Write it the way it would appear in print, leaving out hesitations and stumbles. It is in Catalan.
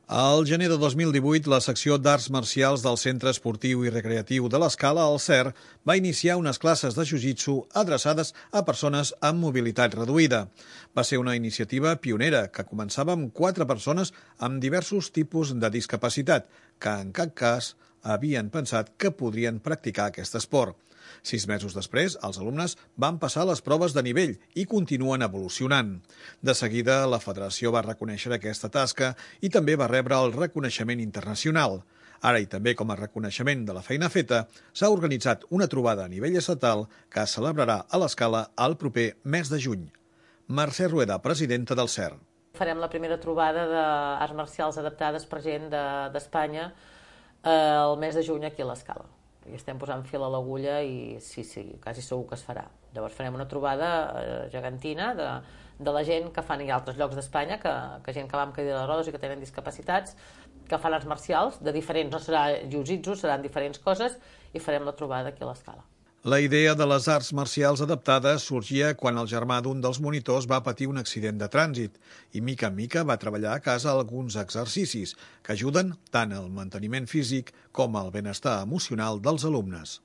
Al gener de 2018, la secció d'arts marcials del Centre Esportiu i Recreatiu de l'Escala, al CER, va iniciar unes classes de jiu-jitsu adreçades a persones amb mobilitat reduïda. Va ser una iniciativa pionera que començava amb 4 persones amb diversos tipus de discapacitat, que en cap cas havien pensat que podrien practicar aquest esport. 6 mesos després, els alumnes van passar les proves de nivell i continuen evolucionant. De seguida, la federació va reconèixer aquesta tasca i també va rebre el reconeixement internacional. Ara, i també com a reconeixement de la feina feta, s'ha organitzat una trobada a nivell estatal que es celebrarà a l'Escala el proper mes de juny. Mercè Rueda, presidenta del CER. Farem la primera trobada d'arts marcials adaptades per gent d'Espanya el mes de juny aquí a l'Escala. I estem posant fil a l'agulla i sí, quasi segur que es farà. Llavors farem una trobada gegantina de la gent que fan, hi ha altres llocs d'Espanya, que gent que va amb cadira de rodes i que tenen discapacitats, que fan arts marcials de diferents, no serà jiu-jitsu, seran diferents coses, i farem la trobada aquí a l'Escala. La idea de les arts marcials adaptades sorgia quan el germà d'un dels monitors va patir un accident de trànsit i mica en mica va treballar a casa alguns exercicis que ajuden tant al manteniment físic com al benestar emocional dels alumnes.